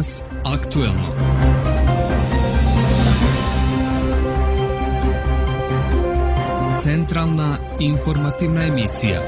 Danas aktuelno. Centralna informativna emisija.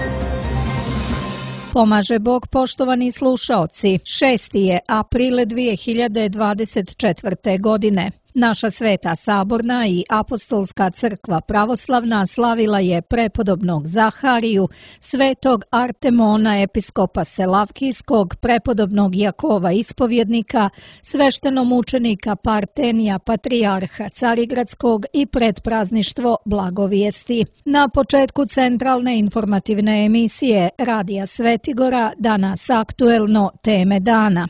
Pomaže Bog, poštovani slušaoci. 6. je april 2024. godine. Naša Sveta Saborna i Apostolska crkva pravoslavna slavila je prepodobnog Zahariju, svetog Artemona episkopa Selavkijskog, prepodobnog Jakova ispovjednika, sveštenomučenika Partenija patrijarha Carigradskog i predprazništvo Blagovijesti. Na početku centralne informativne emisije Radija Svetigora danas aktuelno teme dana.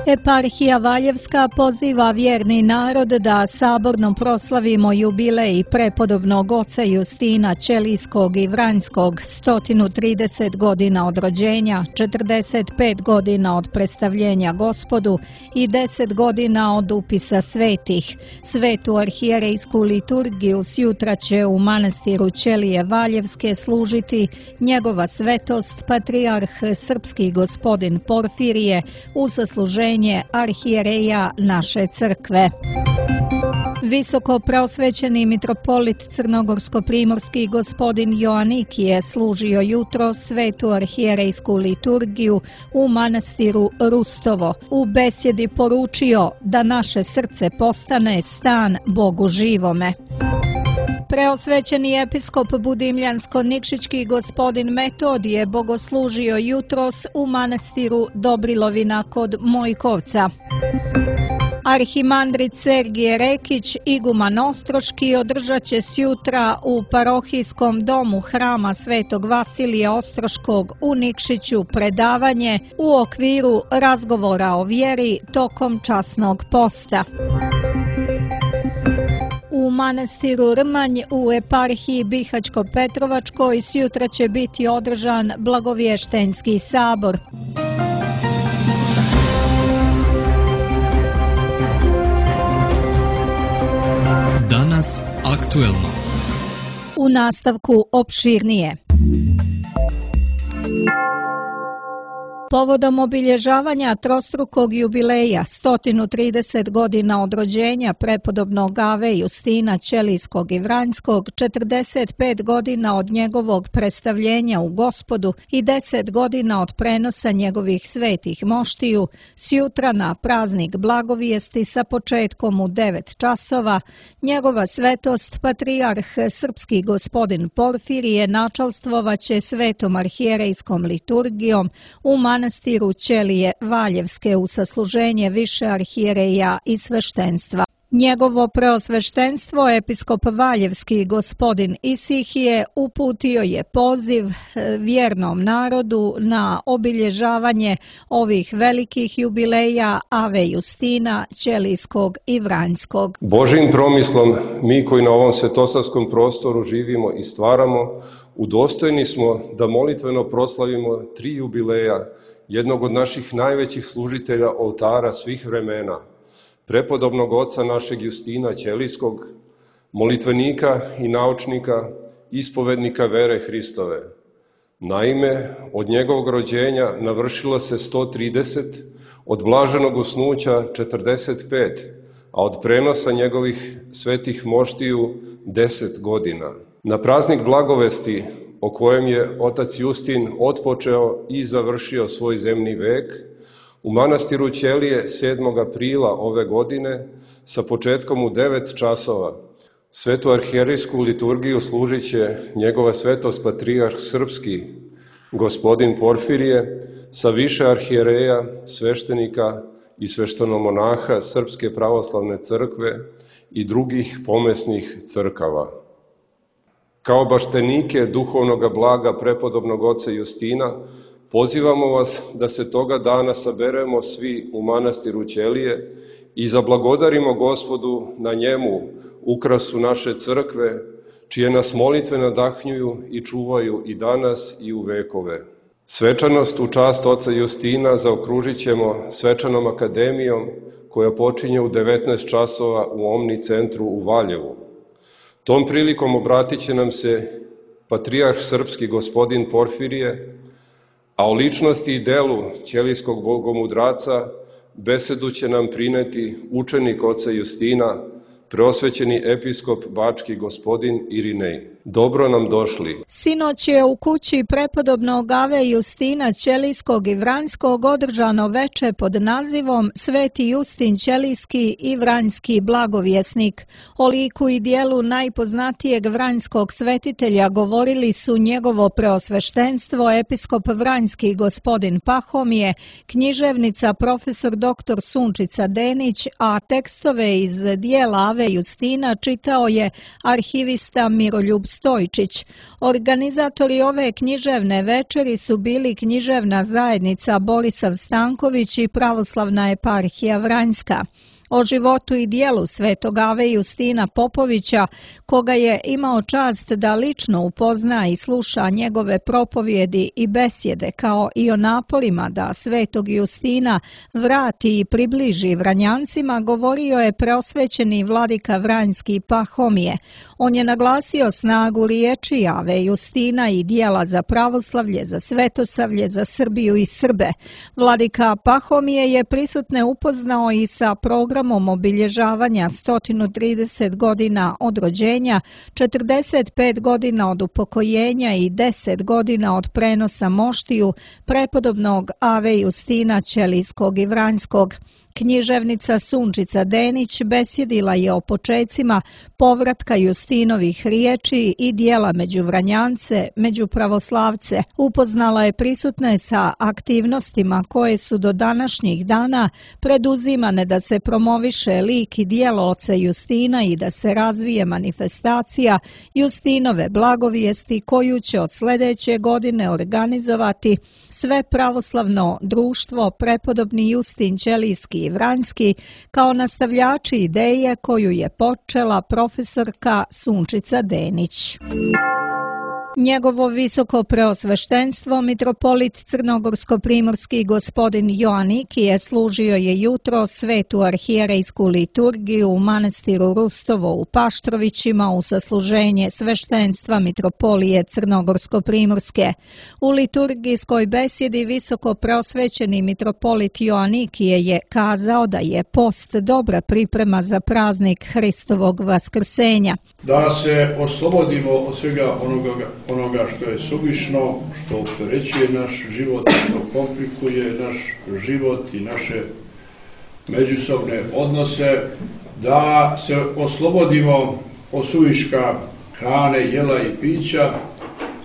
Eparhija Valjevska poziva vjerni narod da saborno proslavimo jubilej prepodobnog oca Justina Ćelijskog i Vranjskog, 130 godina od rođenja, 45 godina od predstavljenja Gospodu i 10 godina od upisa svetih. Svetu arhijerejsku liturgiju sjutra će u manastiru Ćelije Valjevske služiti njegova svetost patrijarh srpski gospodin Porfirije u zasluženje arhijereja naše crkve. Visoko preosvećeni mitropolit crnogorsko-primorski gospodin Joanik je služio jutro svetu arhijerejsku liturgiju u manastiru Rustovo. U besjedi poručio da naše srce postane stan Bogu živome. Preosvećeni episkop Budimljansko-Nikšićki gospodin Metodije bogoslužio jutros u manastiru Dobrilovina kod Mojkovca. Arhimandrit Sergije Rekić, iguman Ostroški, održat će sjutra u parohijskom domu hrama Svetog Vasilija Ostroškog u Nikšiću predavanje u okviru razgovora o vjeri tokom časnog posta. U manastiru Rmanj u eparhiji Bihaćko-Petrovačkoj sjutra će biti održan Blagovještenski sabor. Danas aktuelno. U nastavku opširnije. Povodom obilježavanja trostrukog jubileja 130 godina od rođenja prepodobnog Ave Justina Ćelijskog i Vranjskog, 45 godina od njegovog predstavljenja u Gospodu i 10 godina od prenosa njegovih svetih moštiju, sjutra na praznik Blagovijesti sa početkom u 9 časova, njegova svetost patrijarh srpski gospodin Porfirije načalstvovaće svetom arhijerejskom liturgijom u manastiru Ćelije Valjevske u sasluženje više arhijereja i sveštenstva. Njegovo preosveštenstvo, episkop Valjevski gospodin Isihije, uputio je poziv vjernom narodu na obilježavanje ovih velikih jubileja Ave Justina, Ćelijskog i Vranjskog. Božjim promislom, mi koji na ovom svetosavskom prostoru živimo i stvaramo, udostojni smo da molitveno proslavimo 3 jubileja jednog od naših najvećih služitelja oltara svih vremena, prepodobnog oca našeg Justina Ćelijskog, molitvenika i naučnika, ispovednika vere Hristove. Naime, od njegovog rođenja navršilo se 130, od blaženog usnuća 45, a od prenosa njegovih svetih moštiju 10 godina. Na praznik Blagovesti, o kojem je otac Justin otpočeo i završio svoj zemni vek, u manastiru Ćelije 7. aprila ove godine, sa početkom u 9 časova, svetu arhijerejsku liturgiju služit će njegova svetost patrijarh srpski, gospodin Porfirije, sa više arhijereja, sveštenika i sveštenomonaha Srpske pravoslavne crkve i drugih pomesnih crkava. Kao baštenike duhovnoga blaga prepodobnog oca Justina, pozivamo vas da se toga dana saberemo svi u manastiru Ćelije i zablagodarimo Gospodu na njemu, ukrasu naše crkve, čije nas molitve nadahnjuju i čuvaju i danas i u vekove. Svečanost u čast oca Justina zaokružit ćemo svečanom akademijom koja počinje u 19 časova u Omni centru u Valjevu. Tom prilikom obratit će nam se patrijarh srpski gospodin Porfirije, A o ličnosti i delu ćelijskog bogomudraca besedu će nam prineti učenik oca Justina, preosvećeni episkop bački gospodin Irinej. Dobro nam došli. Sinoć je u kući prepodobnog Ave Justina Ćelijskog i Vranjskog održano veče pod nazivom Sveti Justin Ćelijski i Vranjski blagovjesnik. O liku i dijelu najpoznatijeg vranjskog svetitelja govorili su njegovo preosveštenstvo episkop Vranjski gospodin Pahomije, književnica profesor dr. Sunčica Denić, a tekstove iz dijela Ave Justina čitao je arhivista Miroljub Stojčić. Organizatori ove književne večeri su bili književna zajednica Borisav Stanković i Pravoslavna eparhija Vranjska. O životu i dijelu svetog Ave Justina Popovića, koga je imao čast da lično upozna i sluša njegove propovjedi i besjede, kao i o naporima da svetog Justina vrati i približi Vranjancima, govorio je preosvećeni vladika Vranjski Pahomije. On je naglasio snagu riječi Ave Justina i dijela za pravoslavlje, za svetosavlje, za Srbiju i Srbe. Vladika Pahomije je prisutne upoznao i sa programom obilježavanja 130 godina od rođenja, 45 godina od upokojenja i 10 godina od prenosa moštiju prepodobnog Ave Justina Ćelijskog i Vranjskog. Književnica Sunčica Denić besjedila je o počecima povratka Justinovih riječi i dijela među Vranjance, među pravoslavce. Upoznala je prisutne sa aktivnostima koje su do današnjih dana preduzimane da se promoviše lik i dijelo oca Justina i da se razvije manifestacija Justinove blagovijesti koju će od sljedeće godine organizovati sve pravoslavno društvo prepodobni Justin Ćelijski i Vranjski kao nastavljači ideje koju je počela profesorka Sunčica Denić. Njegovo visoko preosveštenstvo, mitropolit crnogorsko-primorski gospodin Joanikije, služio je jutro svetu arhijerejsku liturgiju u manastiru Rustovo u Paštrovićima u sasluženje sveštenstva mitropolije crnogorsko-primorske. U liturgijskoj besjedi visoko preosvećeni mitropolit Joanikije je kazao da je post dobra priprema za praznik Hristovog vaskrsenja. Da se oslobodimo od svega onoga što je suvišno, što opterećuje naš život, što komplikuje naš život i naše međusobne odnose, da se oslobodimo od suviška hrane, jela i pića,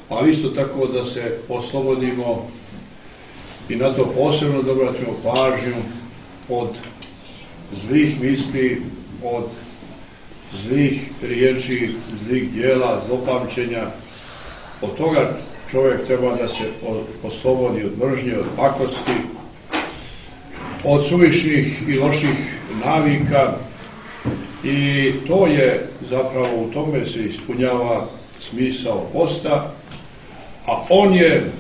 ali isto tako da se oslobodimo i na to posebno da obratimo pažnju od zlih misli, od zlih riječi, zlih djela, zlopamćenja. Od toga čovjek treba da se oslobodi od mržnje, od pakosti, od suvišnih i loših navika i to je zapravo, u tome se ispunjava smisao posta, a on je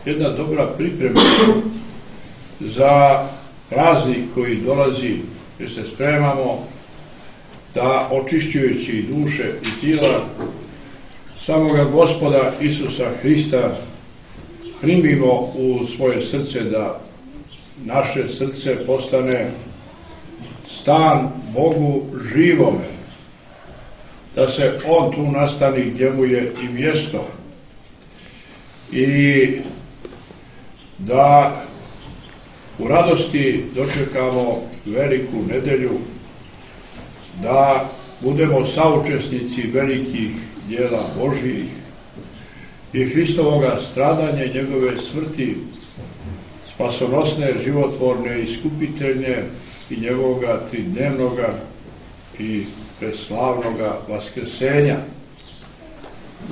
jedna dobra priprema za praznik koji dolazi, jer se spremamo da očišćujući duše i tijela samoga Gospoda Isusa Hrista primimo u svoje srce, da naše srce postane stan Bogu živome, da se On tu nastani gdje mu je i mjesto i da u radosti dočekamo veliku nedelju, da budemo saučesnici velikih djela Božjih i Hristovoga stradanja i njegove smrti, spasonosne, životvorne, iskupiteljne i njegovoga tridnevnoga i preslavnoga vaskrsenja.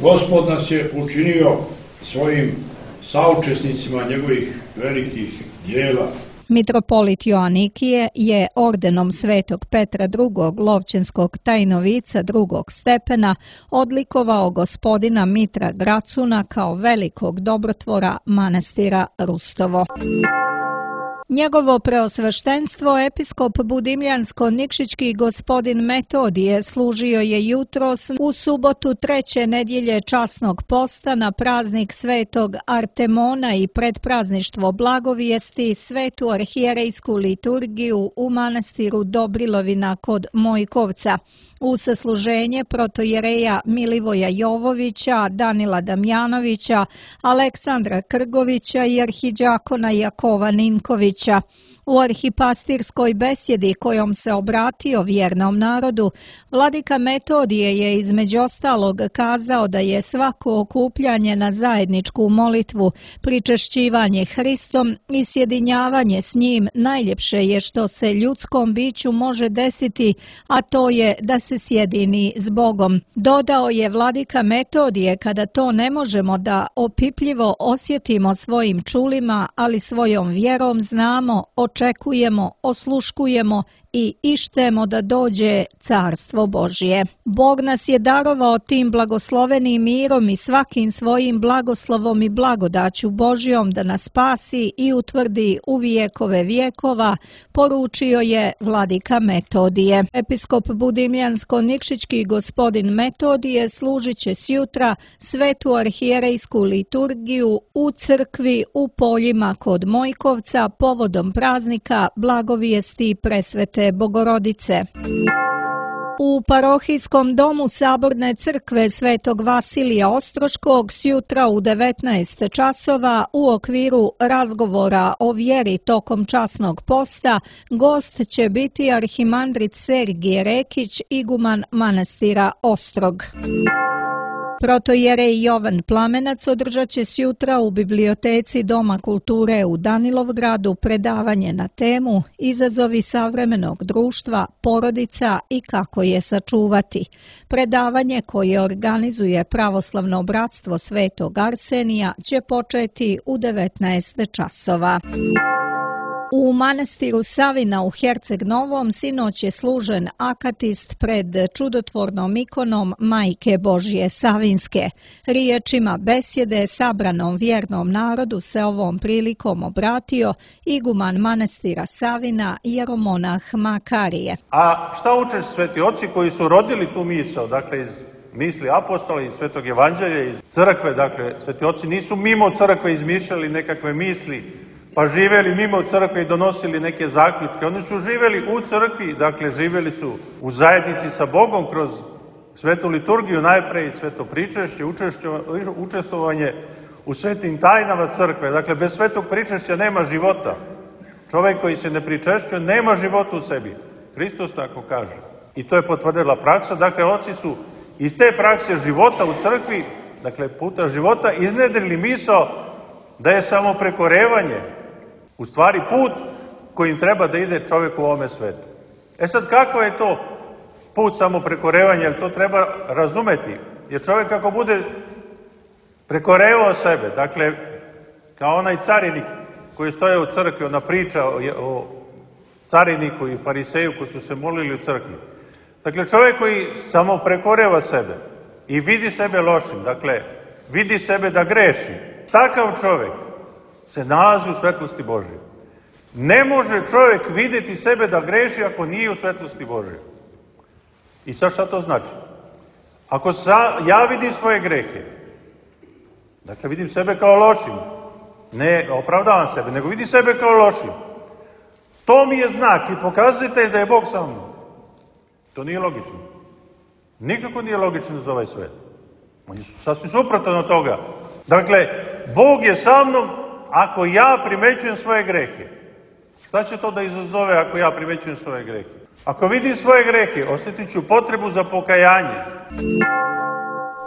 Gospod nas je učinio svojim saučesnicima njegovih velikih djela. Mitropolit Joanikije je ordenom svetog Petra II. Lovćenskog tajnovica drugog stepena odlikovao gospodina Mitra Gracuna kao velikog dobrotvora manastira Rustovo. Njegovo preosveštenstvo episkop Budimljansko-Nikšićki gospodin Metodije služio je jutros u subotu 3. nedjelje časnog posta na praznik Svetog Artemona i predprazništvo blagovijesti Svetu arhijerejsku liturgiju u manastiru Dobrilovina kod Mojkovca. U sasluženje protojereja Milivoja Jovovića, Danila Damjanovića, Aleksandra Krgovića i arhidžakona Jakova Ninkovića. U arhipastirskoj besjedi kojom se obratio vjernom narodu, vladika Metodije je između ostalog kazao da je svako okupljanje na zajedničku molitvu, pričešćivanje Hristom i sjedinjavanje s njim najljepše je što se ljudskom biću može desiti, a to je da se sjedini s Bogom. Dodao je vladika Metodije, kada to ne možemo da opipljivo osjetimo svojim čulima, ali svojom vjerom znamo, očekujemo, osluškujemo i ištemo da dođe Carstvo Božje. Bog nas je darovao tim blagoslovenim mirom i svakim svojim blagoslovom i blagodaću Božjom da nas spasi i utvrdi u vijekove vjekova, poručio je vladika Metodije. Episkop Budimljansko-Nikšićki gospodin Metodije služit će sjutra Svetu arhijerejsku liturgiju u crkvi u Poljima kod Mojkovca povodom praznika blagovijesti Presvete Bogorodice. U parohijskom domu Saborne crkve Svetog Vasilija Ostroškog sjutra u 19 časova u okviru razgovora o vjeri tokom časnog posta gost će biti arhimandrit Sergije Rekić, iguman manastira Ostrog. Protojerej Jovan Plamenac održat će sjutra u biblioteci Doma kulture u Danilovgradu predavanje na temu Izazovi savremenog društva, porodica i kako je sačuvati. Predavanje koje organizuje Pravoslavno bratstvo Svetog Arsenija će početi u 19 časova. U manastiru Savina u Herceg Novom sinoć je služen akatist pred čudotvornom ikonom Majke Božje Savinske. Riječima besjede sabranom vjernom narodu se ovom prilikom obratio iguman manastira Savina jeromonah Makarije. A šta uče sveti oci koji su rodili tu misao, dakle iz misli apostola, iz Svetog Evanđelja, iz crkve, dakle sveti oci nisu mimo crkve izmišljali nekakve misli, pa živjeli mimo crkve i donosili neke zaključke. Oni su živjeli u crkvi, dakle živjeli su u zajednici sa Bogom kroz svetu liturgiju, najprej sveto pričešće, učestvovanje u svetim tajnama crkve. Dakle, bez svetog pričešća nema života. Čovjek koji se ne pričešćuje nema života u sebi. Hristos tako kaže. I to je potvrdila praksa. Dakle, oci su iz te prakse života u crkvi, dakle puta života, iznedrili misao da je samo prekorevanje u stvari put kojim treba da ide čovjek u ovome svetu. E sad, kako je to put samo prekorevanja, jer to treba razumeti. Jer čovjek ako bude prekorevao sebe, dakle, kao onaj carinik koji stoje u crkvi, ona priča o cariniku i fariseju koji su se molili u crkvi. Dakle, čovjek koji samo prekoreva sebe i vidi sebe lošim, dakle, vidi sebe da greši, takav čovjek se nalazi u svetlosti Božje. Ne može čovjek vidjeti sebe da greši ako nije u svetlosti Božje. I sad šta to znači? Ako ja vidim svoje grehe, dakle vidim sebe kao lošim, ne opravdavam sebe, nego vidim sebe kao lošim, to mi je znak i pokazatelj da je Bog sa mnom. To nije logično. Nikako nije logično za ovaj svet. On je sasvim suprotan od toga. Dakle, Bog je sa mnom ako ja primećujem svoje grehe. Šta će to da izazove ako ja primećujem svoje grehe? Ako vidim svoje grehe, osjetit ću potrebu za pokajanje.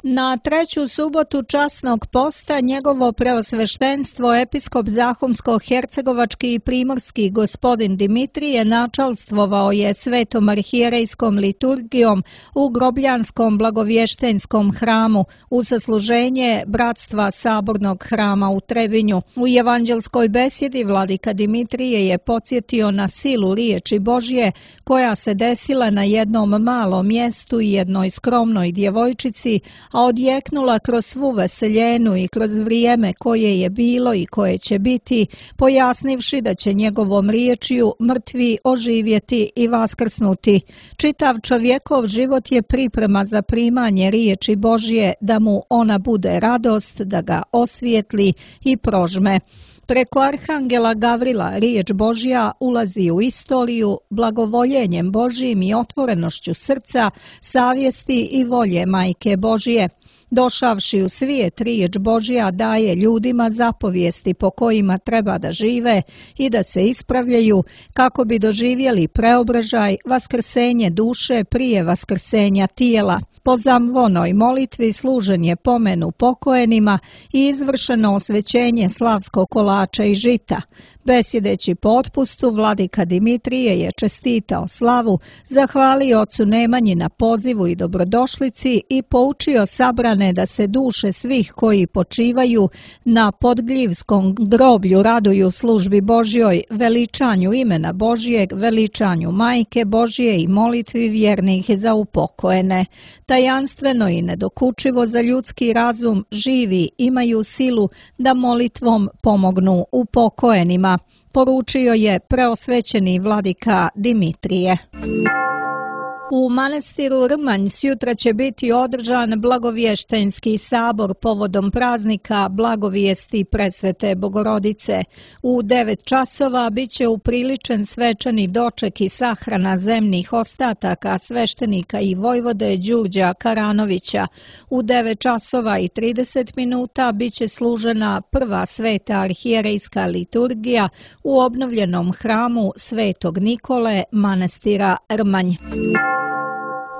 Na treću subotu časnog posta njegovo preosveštenstvo episkop Zahumsko-hercegovački i primorski gospodin Dimitrije načalstvovao je svetom arhijerejskom liturgijom u Grobljanskom blagovještenskom hramu u sasluženje Bratstva Sabornog hrama u Trebinju. U evanđelskoj besjedi vladika Dimitrije je podsjetio na silu riječi Božje koja se desila na jednom malom mjestu i jednoj skromnoj djevojčici, a odjeknula kroz svu veseljenu i kroz vrijeme koje je bilo i koje će biti, pojasnivši da će njegovom riječju mrtvi oživjeti i vaskrsnuti. Čitav čovjekov život je priprema za primanje riječi Božje, da mu ona bude radost, da ga osvijetli i prožme. Preko arhangela Gavrila riječ Božja ulazi u istoriju blagovoljenjem Božjim i otvorenošću srca, savjesti i volje Majke Božje. Došavši u svijet, riječ Božja daje ljudima zapovijesti po kojima treba da žive i da se ispravljaju kako bi doživjeli preobražaj, vaskrsenje duše prije vaskrsenja tijela. Po zamvonoj molitvi služen je pomenu pokоjenima i izvršeno osvećenje slavskog kolača i žita. Besjedeći po otpustu, vladika Dimitrije je čestitao slavu, zahvalio ocu Nemanji na pozivu i dobrodošlici i poučio sabrane da se duše svih koji počivaju na Podgljivskom groblju raduju službi Božjoj, veličanju imena Božjeg, veličanju Majke Božje i molitvi vjernih za upokojene. Tajanstveno i nedokučivo za ljudski razum živi imaju silu da molitvom pomognu upokojenima, poručio je preosvećeni vladika Dimitrije. U manastiru Rmanj sjutra će biti održan blagovještenski sabor povodom praznika Blagovijesti Presvete Bogorodice. U 9 časova bit će upriličen svečani doček i sahrana zemnih ostataka sveštenika i vojvode Đurđa Karanovića. U 9 časova i 30 minuta bit će služena prva sveta arhijerejska liturgija u obnovljenom hramu Svetog Nikole manastira Rmanj.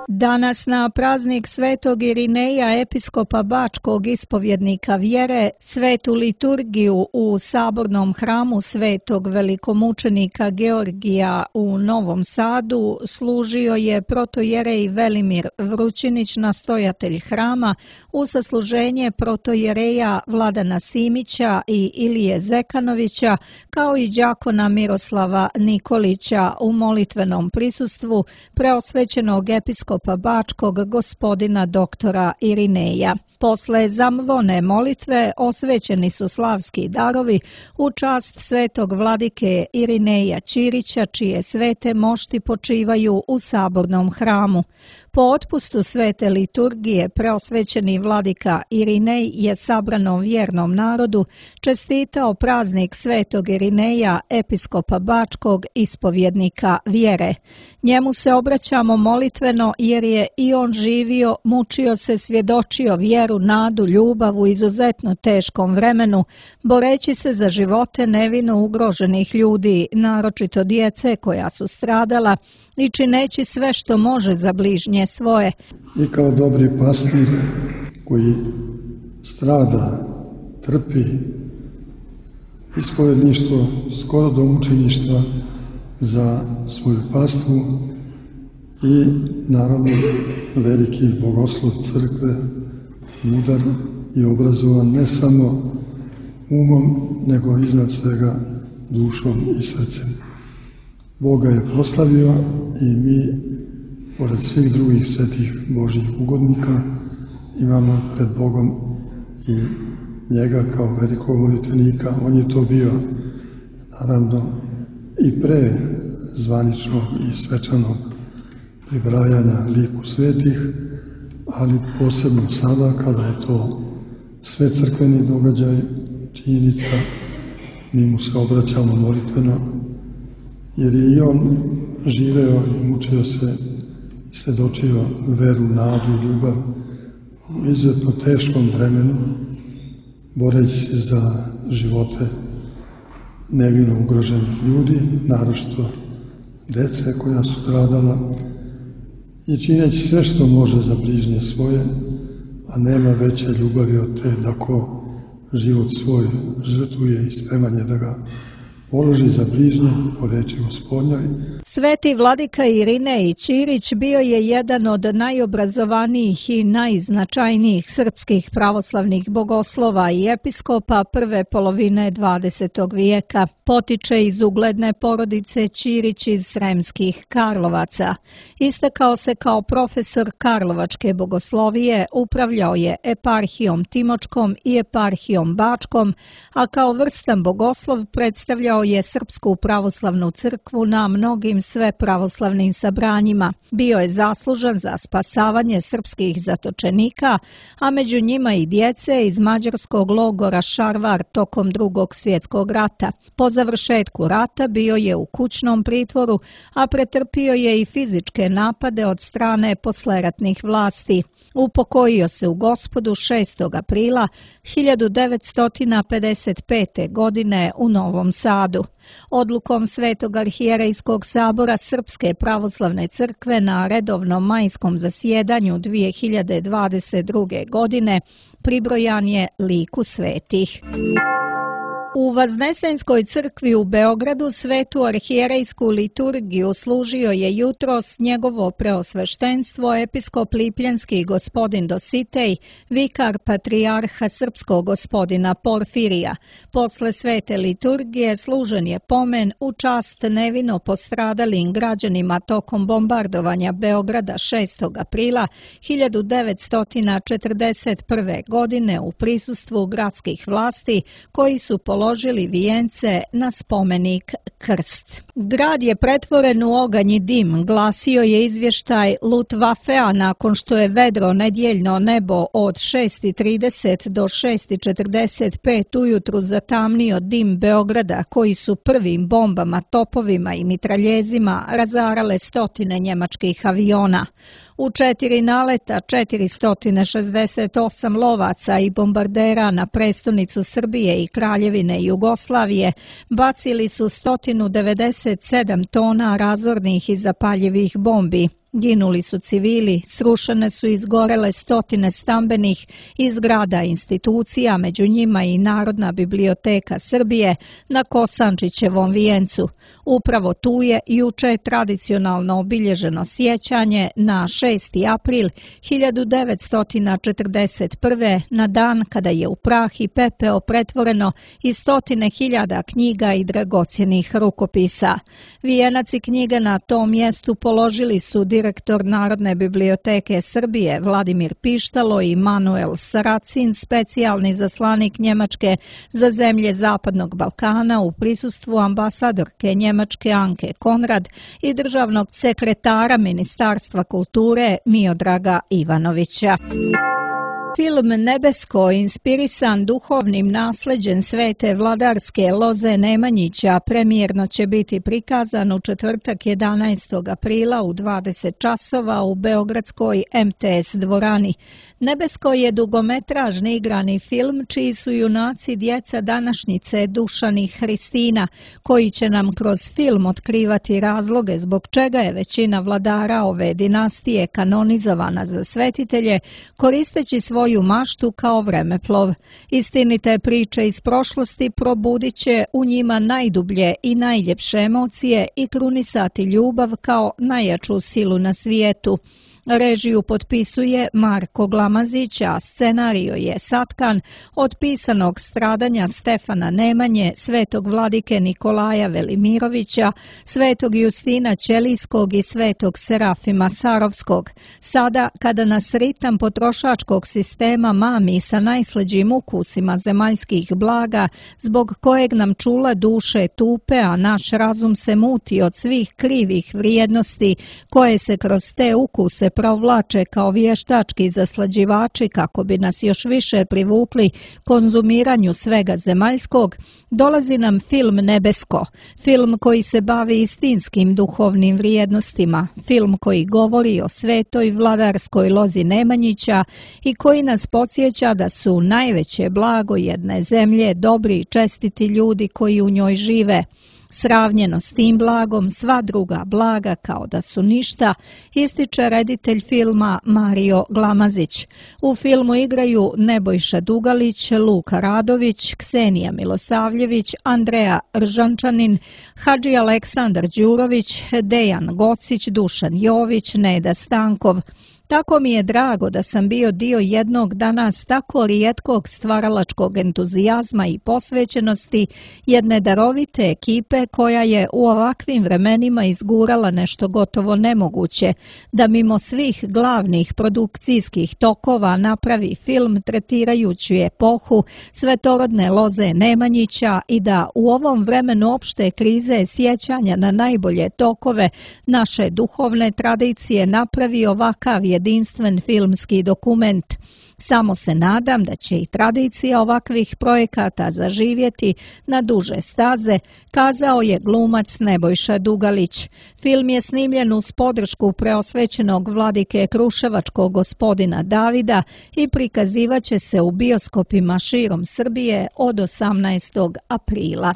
Danas na praznik Svetog Irineja, episkopa Bačkog ispovjednika vjere, svetu liturgiju u sabornom hramu Svetog velikomučenika Georgija u Novom Sadu služio je protojerej Velimir Vrućinić, nastojatelj hrama, u sasluženje protojereja Vladana Simića i Ilije Zekanovića, kao i đakona Miroslava Nikolića u molitvenom prisustvu preosvećenog episkopa Bačkog gospodina doktora Irineja. Posle zamvone molitve osvećeni su slavski darovi u čast svetog vladike Irineja Ćirića, čije svete mošti počivaju u sabornom hramu. Po otpustu svete liturgije preosvećeni vladika Irinej je sabranom vjernom narodu čestitao praznik Svetog Irineja, episkopa Bačkog ispovjednika vjere. Njemu se obraćamo molitveno jer je i on živio, mučio se, svjedočio vjeru, nadu, ljubav u izuzetno teškom vremenu, boreći se za živote nevino ugroženih ljudi, naročito djece koja su stradala, i čineći sve što može za bližnje svoje. I kao dobri pastir koji strada, trpi ispovjedništvo skoro do mučeništva za svoju pastvu i naravno veliki bogoslov crkve, mudar i obrazovan ne samo umom, nego iznad svega dušom i srcem. Boga je proslavio i mi, pored svih drugih svetih Božjih ugodnika, imamo pred Bogom i njega kao velikog molitvenika. On je to bio, naravno, i pre zvaničnog i svečanog pribrajanja liku svetih, ali posebno sada kada je to sve crkveni događaj, činjenica, mi mu se obraćamo molitveno, jer je i on živeo i mučio se i svjedočio veru, nadu i ljubav u izuzetno teškom vremenu, boreći se za živote nevino ugroženih ljudi, naročito dece koja su stradala, i čineći sve što može za bližnje svoje, a nema veće ljubavi od te da ko život svoj žrtvuje i spreman je da ga položi za bližnje po reči Gospodnjoj. Sveti vladika Irinej Ćirić bio je jedan od najobrazovanijih i najznačajnijih srpskih pravoslavnih bogoslova i episkopa prve polovine 20. vijeka. Potiče iz ugledne porodice Ćirić iz Sremskih Karlovaca. Istakao se kao profesor karlovačke bogoslovije, upravljao je eparhijom Timočkom i eparhijom Bačkom, a kao vrstan bogoslov predstavljao je Srpsku pravoslavnu crkvu na mnogim svepravoslavnim sabranjima. Bio je zaslužan za spasavanje srpskih zatočenika, a među njima i djece iz mađarskog logora Šarvar tokom Drugog svjetskog rata. Po završetku rata bio je u kućnom pritvoru, a pretrpio je i fizičke napade od strane posleratnih vlasti. Upokojio se u Gospodu 6. aprila 1955. godine u Novom Sadu. Odlukom Svetog arhijerejskog sabora Srpske pravoslavne crkve na redovnom majskom zasjedanju 2022. godine pribrojan je liku svetih. U Vaznesenskoj crkvi u Beogradu svetu arhijerejsku liturgiju služio je jutros njegovo preosveštenstvo episkop Lipljanski gospodin Dositej, vikar patrijarha srpskog gospodina Porfirija. Posle svete liturgije služen je pomen u čast nevino postradalim građanima tokom bombardovanja Beograda 6. aprila 1941. godine u prisustvu gradskih vlasti koji su položili vijence na spomenik Krst. Grad je pretvoren u oganj i dim, glasio je izvještaj Luftwaffea nakon što je vedro nedjeljno nebo od 6:30 do 6:45 ujutru zatamnio dim Beograda, koji su prvim bombama, topovima i mitraljezima razarale stotine njemačkih aviona. U 4 naleta 468 lovaca i bombardera na prestonicu Srbije i Kraljevine Jugoslavije bacili su 197 tona razornih i zapaljivih bombi. Ginuli su civili, srušene su i izgorele stotine stambenih i zgrada institucija, među njima i Narodna biblioteka Srbije na Kosančićevom vijencu. Upravo tu je juče tradicionalno obilježeno sjećanje na 6. april 1941. na dan kada je u prah i pepeo pretvoreno i stotine hiljada knjiga i dragocjenih rukopisa. Vijenac i knjige na tom mjestu položili su direktor Narodne biblioteke Srbije Vladimir Pištalo i Manuel Saracin, specijalni zaslanik Njemačke za zemlje Zapadnog Balkana u prisustvu ambasadorke Njemačke Anke Konrad i državnog sekretara Ministarstva kulture Miodraga Ivanovića. Film Nebesko, inspirisan duhovnim nasleđem svete vladarske Loze Nemanjića, premijerno će biti prikazan u četvrtak 11. aprila u 20 časova u beogradskoj MTS dvorani. Nebesko je dugometražni igrani film čiji su junaci djeca današnjice Dušan i Hristina, koji će nam kroz film otkrivati razloge zbog čega je većina vladara ove dinastije kanonizovana za svetitelje, koristeći svoju maštu kao vremeplov. Istinite priče iz prošlosti probudit će u njima najdublje i najljepše emocije i krunisati ljubav kao najjaču silu na svijetu. Režiju potpisuje Marko Glamazić, a scenario je satkan od pisanog stradanja Stefana Nemanje, svetog vladike Nikolaja Velimirovića, svetog Justina Ćelijskog i svetog Serafima Sarovskog. Sada, kada nas ritam potrošačkog sistema mami sa najslađim ukusima zemaljskih blaga, zbog kojeg nam čula duše tupe, a naš razum se muti od svih krivih vrijednosti koje se kroz te ukuse provlače kao vještački zaslađivači kako bi nas još više privukli konzumiranju svega zemaljskog, dolazi nam film Nebesko, film koji se bavi istinskim duhovnim vrijednostima, film koji govori o svetoj vladarskoj Lozi Nemanjića i koji nas podsjeća da su najveće blago jedne zemlje dobri i čestiti ljudi koji u njoj žive. Sravnjeno s tim blagom, sva druga blaga kao da su ništa, ističe reditelj filma Mario Glamazić. U filmu igraju Nebojša Dugalić, Luka Radović, Ksenija Milosavljević, Andreja Ržančanin, Hadži Aleksandar Đurović, Dejan Gocić, Dušan Jović, Neda Stankov. Tako mi je drago da sam bio dio jednog danas tako rijetkog stvaralačkog entuzijazma i posvećenosti jedne darovite ekipe koja je u ovakvim vremenima izgurala nešto gotovo nemoguće, da mimo svih glavnih produkcijskih tokova napravi film tretirajući epohu svetorodne loze Nemanjića i da u ovom vremenu opšte krize sjećanja na najbolje tokove naše duhovne tradicije napravi ovakav jedinstven filmski dokument. Samo se nadam da će i tradicija ovakvih projekata zaživjeti na duže staze, kazao je glumac Nebojša Dugalić. Film je snimljen uz podršku preosvećenog vladike Kruševačkog gospodina Davida i prikazivaće se u bioskopima širom Srbije od 18. aprila.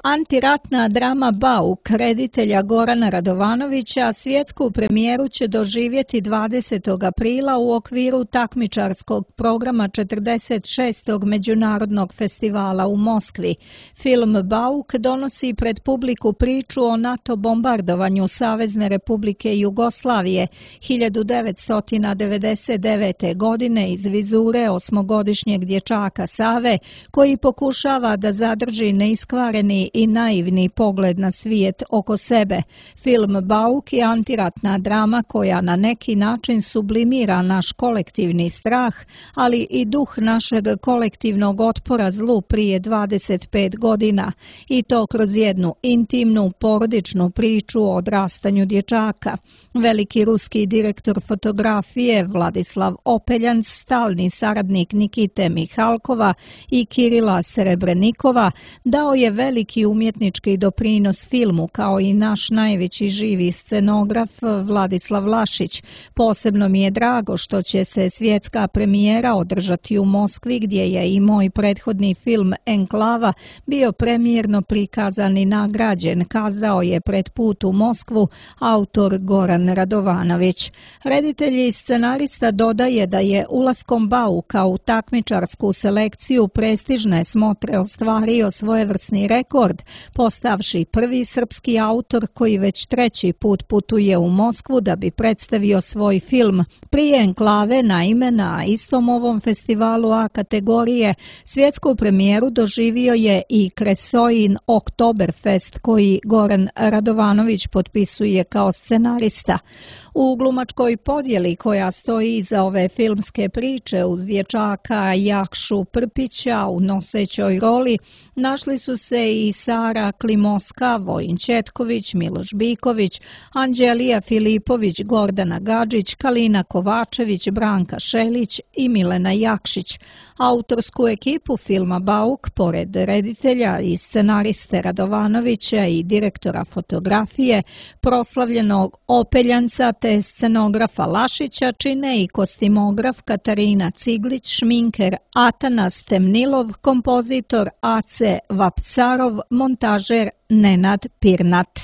Antiratna drama Bauk reditelja Gorana Radovanovića svjetsku premijeru će doživjeti 20. aprila u okviru takmičarskog programa 46. Međunarodnog festivala u Moskvi. Film Bauk donosi pred publiku priču o NATO bombardovanju Savezne Republike Jugoslavije 1999. godine iz vizure osmogodišnjeg dječaka Save koji pokušava da zadrži neiskvareni i naivni pogled na svijet oko sebe. Film Bauk je antiratna drama koja na neki način sublimira naš kolektivni strah, ali i duh našeg kolektivnog otpora zlu prije 25 godina, i to kroz jednu intimnu porodičnu priču o odrastanju dječaka. Veliki ruski direktor fotografije Vladislav Opeljanc, stalni saradnik Nikite Mihalkova i Kirila Serebrenikova, dao je veliki umjetnički doprinos filmu, kao i naš najveći živi scenograf Vladislav Lašić. Posebno mi je drago što će se svjetska premijera održati u Moskvi, gdje je i moj prethodni film Enklava bio premijerno prikazan i nagrađen, kazao je pred put u Moskvu autor Goran Radovanović. Reditelj i scenarista dodaje da je ulaskom Bauka u takmičarsku selekciju prestižne smotre ostvario svojevrsni rekord, postavši prvi srpski autor koji već treći put putuje u Moskvu da bi predstavio svoj film. Prije Enklave, naime, na istom ovom festivalu A kategorije svjetsku premijeru doživio je i Kresojin Oktoberfest koji Goran Radovanović potpisuje kao scenarista. U glumačkoj podjeli koja stoji iza ove filmske priče uz dječaka Jakšu Prpića u nosećoj roli našli su se i Sara Klimoska, Vojin Četković, Miloš Biković, Anđelija Filipović, Gordana Gadžić, Kalina Kovačević, Branka Šelić i Milena Jakšić. Autorsku ekipu filma Bauk, pored reditelja i scenariste Radovanovića i direktora fotografije, proslavljenog Opeljanca te scenografa Lašića, čine i kostimograf Katarina Ciglić, šminker Atanas Temnilov, kompozitor Ace Vapcarov, montažer Nenad Pirnat.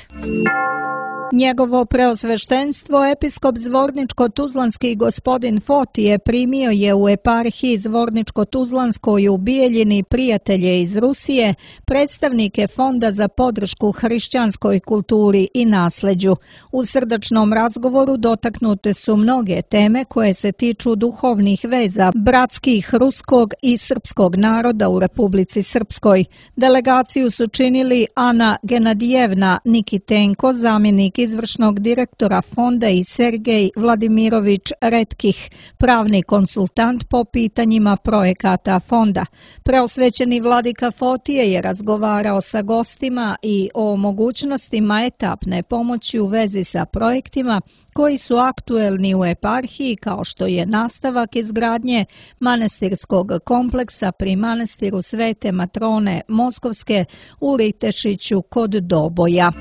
Njegovo preosveštenstvo episkop Zvorničko-Tuzlanski gospodin Fotije primio je u eparhiji Zvorničko-Tuzlanskoj u Bijeljini prijatelje iz Rusije, predstavnike Fonda za podršku hrišćanskoj kulturi i nasleđu. U srdačnom razgovoru dotaknute su mnoge teme koje se tiču duhovnih veza bratskih ruskog i srpskog naroda u Republici Srpskoj. Delegaciju su činili Ana Genadijevna Nikitenko, zamjenik izvršnog direktora fonda, i Sergej Vladimirović Retkih, pravni konsultant po pitanjima projekata fonda. Preosvećeni vladika Fotije je razgovarao sa gostima i o mogućnostima etapne pomoći u vezi sa projektima koji su aktuelni u eparhiji, kao što je nastavak izgradnje manastirskog kompleksa pri manastiru Svete Matrone Moskovske u Ritešiću kod Doboja.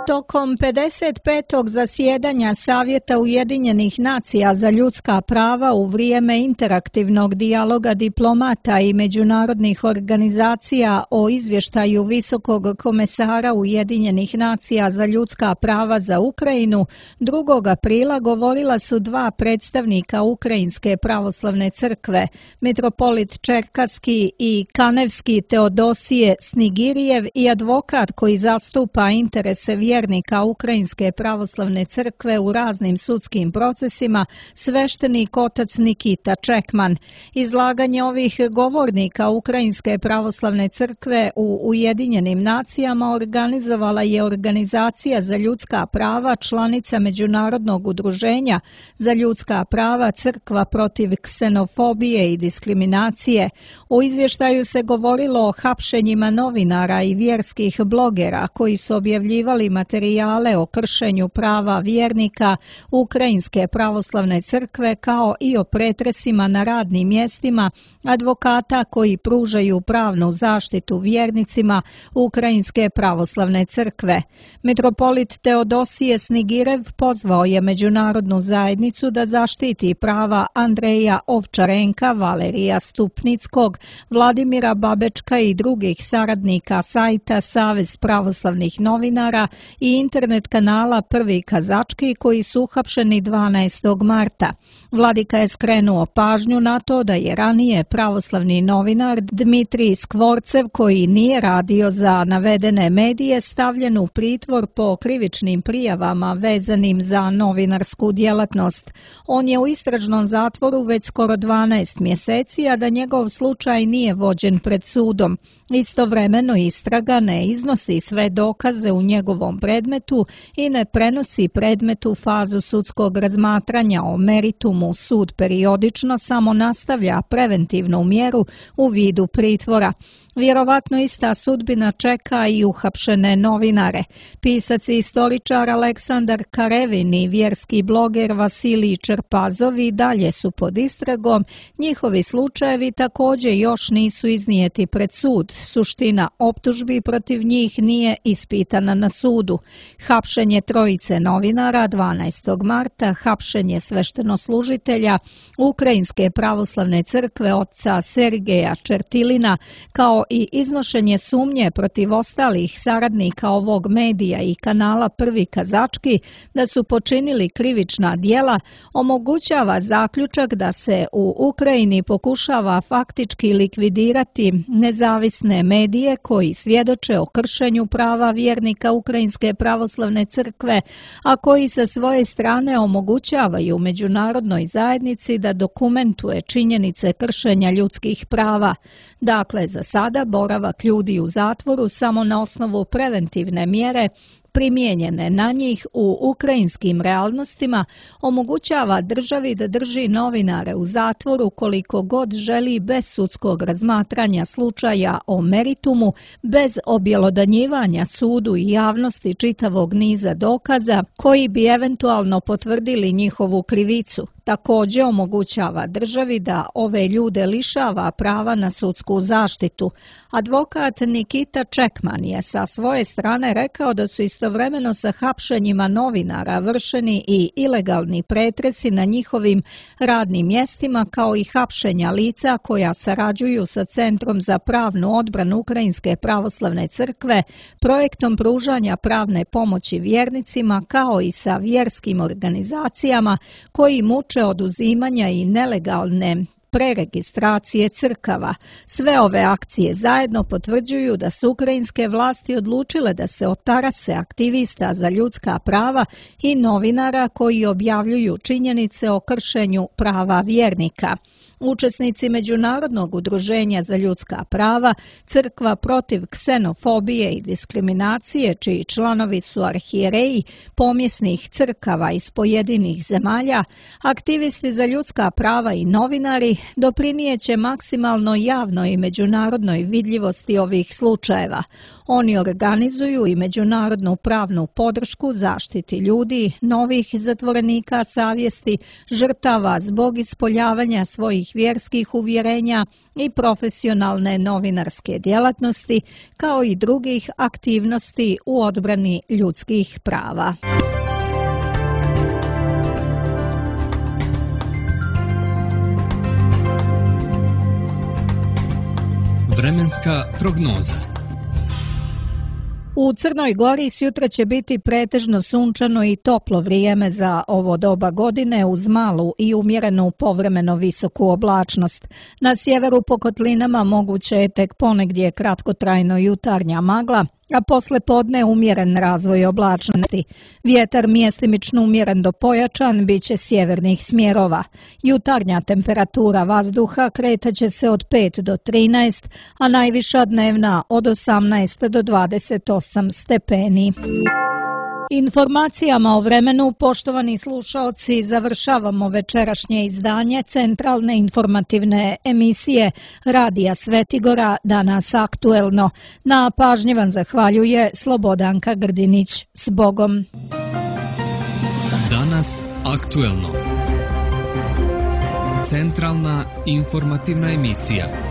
Tokom 55. zasjedanja Savjeta Ujedinjenih nacija za ljudska prava u vrijeme interaktivnog dijaloga diplomata i međunarodnih organizacija o izvještaju Visokog komesara Ujedinjenih nacija za ljudska prava za Ukrajinu, 2. aprila govorila su dva predstavnika Ukrajinske pravoslavne crkve, mitropolit Čerkaski i Kanevski Teodosije Snigirijev i advokat koji zastupa interese vjernika Ukrajinske pravoslavne crkve u raznim sudskim procesima, sveštenik otac Nikita Čekman. Izlaganje ovih govornika Ukrajinske pravoslavne crkve u Ujedinjenim nacijama organizovala je Organizacija za ljudska prava, članica Međunarodnog udruženja za ljudska prava Crkva protiv ksenofobije i diskriminacije. U izvještaju se govorilo o hapšenjima novinara i vjerskih blogera koji su objavljivali materijale o kršenju prava vjernika Ukrajinske pravoslavne crkve, kao i o pretresima na radnim mjestima advokata koji pružaju pravnu zaštitu vjernicima Ukrajinske pravoslavne crkve. Mitropolit Teodosije Snigirev pozvao je međunarodnu zajednicu da zaštiti prava Andreja Ovčarenka, Valerija Stupnickog, Vladimira Babečka i drugih saradnika sajta Savez pravoslavnih novinara i internet kanala Prvi kazački koji su uhapšeni 12. marta. Vladika je skrenuo pažnju na to da je ranije pravoslavni novinar Dmitrij Skvorcev, koji nije radio za navedene medije, stavljen u pritvor po krivičnim prijavama vezanim za novinarsku djelatnost. On je u istražnom zatvoru već skoro 12 mjeseci, a da njegov slučaj nije vođen pred sudom. Istovremeno istraga ne iznosi sve dokaze u njegovom predmetu i ne prenosi predmet u fazu sudskog razmatranja o meritumu. Sud periodično samo nastavlja preventivnu mjeru u vidu pritvora. Vjerovatno ista sudbina čeka i uhapšene novinare. Pisac i istoričar Aleksandar Karevin i vjerski bloger Vasilij Čerpazov i dalje su pod istragom. Njihovi slučajevi također još nisu iznijeti pred sud. Suština optužbi protiv njih nije ispitana na sudu. Hapšenje trojice novinara 12. marta, hapšenje sveštenoslužitelja Ukrajinske pravoslavne crkve oca Sergeja Čertilina, kao i iznošenje sumnje protiv ostalih saradnika ovog medija i kanala Prvi kazački da su počinili krivična djela, omogućava zaključak da se u Ukrajini pokušava faktički likvidirati nezavisne medije koji svjedoče o kršenju prava vjernika Ukrajinske pravoslavne crkve, a koji sa svoje strane omogućavaju međunarodnoj zajednici da dokumentuje činjenice kršenja ljudskih prava. Dakle, za sada boravak ljudi u zatvoru samo na osnovu preventivne mjere primijenjene na njih u ukrajinskim realnostima omogućava državi da drži novinare u zatvoru koliko god želi bez sudskog razmatranja slučaja o meritumu, bez objelodanjivanja sudu i javnosti čitavog niza dokaza koji bi eventualno potvrdili njihovu krivicu. Također omogućava državi da ove ljude lišava prava na sudsku zaštitu. Advokat Nikita Čekman je sa svoje strane rekao da su istovremeno sa hapšenjima novinara vršeni i ilegalni pretresi na njihovim radnim mjestima, kao i hapšenja lica koja sarađuju sa Centrom za pravnu odbranu Ukrajinske pravoslavne crkve, projektom pružanja pravne pomoći vjernicima, kao i sa vjerskim organizacijama koji muče oduzimanja i nelegalne preregistracije crkava. Sve ove akcije zajedno potvrđuju da su ukrajinske vlasti odlučile da se otarase aktivista za ljudska prava i novinara koji objavljuju činjenice o kršenju prava vjernika. Učesnici Međunarodnog udruženja za ljudska prava, Crkva protiv ksenofobije i diskriminacije, čiji članovi su arhijereji pomjesnih crkava iz pojedinih zemalja, aktivisti za ljudska prava i novinari doprinijeće maksimalno javnoj i međunarodnoj vidljivosti ovih slučajeva. Oni organizuju i međunarodnu pravnu podršku zaštiti ljudi, novih zatvorenika savjesti, žrtava zbog ispoljavanja svojih vjerskih uvjerenja i profesionalne novinarske djelatnosti, kao i drugih aktivnosti u odbrani ljudskih prava. Vremenska prognoza. U Crnoj Gori sutra će biti pretežno sunčano i toplo vrijeme za ovo doba godine uz malu i umjerenu povremeno visoku oblačnost. Na sjeveru po kotlinama moguće je tek ponegdje kratkotrajno jutarnja magla, a posle podne umjeren razvoj oblačnosti. Vjetar mjestimično umjeren do pojačan bit će sjevernih smjerova. Jutarnja temperatura vazduha kretaće se od 5 do 13, a najviša dnevna od 18 do 28 stepeni. Informacijama o vremenu, poštovani slušaoci, završavamo večerašnje izdanje centralne informativne emisije Radija Svetigora Danas aktuelno. Na pažnji vam zahvaljuje Slobodanka Grdinić. S Bogom! Danas aktuelno. Centralna informativna emisija.